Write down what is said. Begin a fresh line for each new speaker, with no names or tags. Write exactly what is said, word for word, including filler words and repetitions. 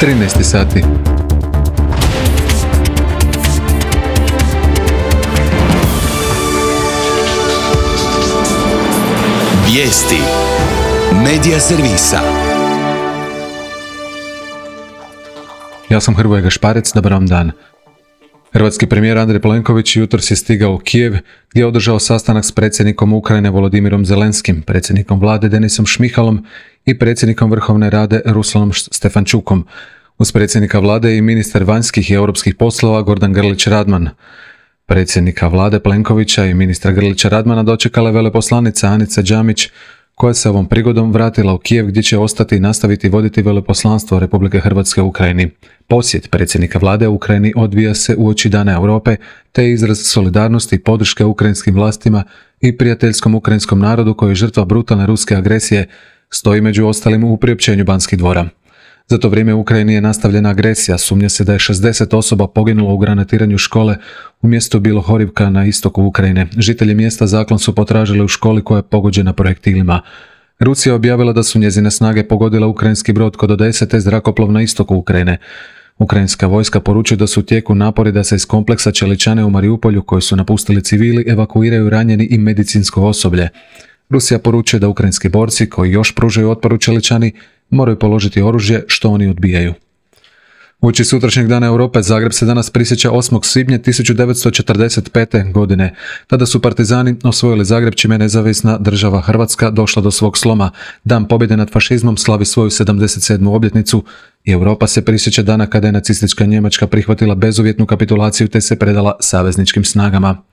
trinaest sati.
Vijesti Medija servisa.
Ja sam Hrvoje Gašparec, dobar vam dan. Hrvatski premijer Andrej Plenković jutros je stigao u Kijev gdje je održao sastanak s predsjednikom Ukrajine Volodimirom Zelenskim, predsjednikom vlade Denisom Šmihalom i predsjednikom Vrhovne rade Ruslanom Stefančukom. Uz predsjednika vlade i ministar vanjskih i europskih poslova Gordan Grlić Radman. Predsjednika vlade Plenkovića i ministra Grlića Radmana dočekala je veleposlanica Anica Đamić, koja se ovom prigodom vratila u Kijev gdje će ostati i nastaviti voditi veleposlanstvo Republike Hrvatske u Ukrajini. Posjet predsjednika vlade u Ukrajini odvija se uoči Dana Europe, te izraz solidarnosti i podrške ukrajinskim vlastima i prijateljskom ukrajinskom narodu koji je žrtva brutalne ruske agresije, stoji među ostalim u priopćenju Banskih dvora. Za to vrijeme u Ukrajini je nastavljena agresija, sumnja se da je šezdeset osoba poginulo u granatiranju škole u mjestu Bilohorivka na istoku Ukrajine. Žitelji mjesta zaklon su potražili u školi koja je pogođena projektilima. Rusija je objavila da su njezine snage pogodile ukrajinski brod kod Odese te zrakoplov na istoku Ukrajine. Ukrajinska vojska poručuje da su u tijeku napori da se iz kompleksa Čeličane u Mariupolju, koji su napustili civili, evakuiraju ranjeni i medicinsko osoblje. Rusija poručuje da ukrajinski borci koji još pružaju otpor u Čeličani moraju položiti oružje, što oni odbijaju. Uoči sutrašnjeg Dana Europe Zagreb se danas prisjeća osmog svibnja tisuću devetsto četrdeset pete. godine. Tada su partizani osvojili Zagreb, čime je nezavisna država Hrvatska došla do svog sloma. Dan pobjede nad fašizmom slavi svoju sedamdeset sedmu obljetnicu i Europa se prisjeća dana kada je nacistička Njemačka prihvatila bezuvjetnu kapitulaciju te se predala savezničkim snagama.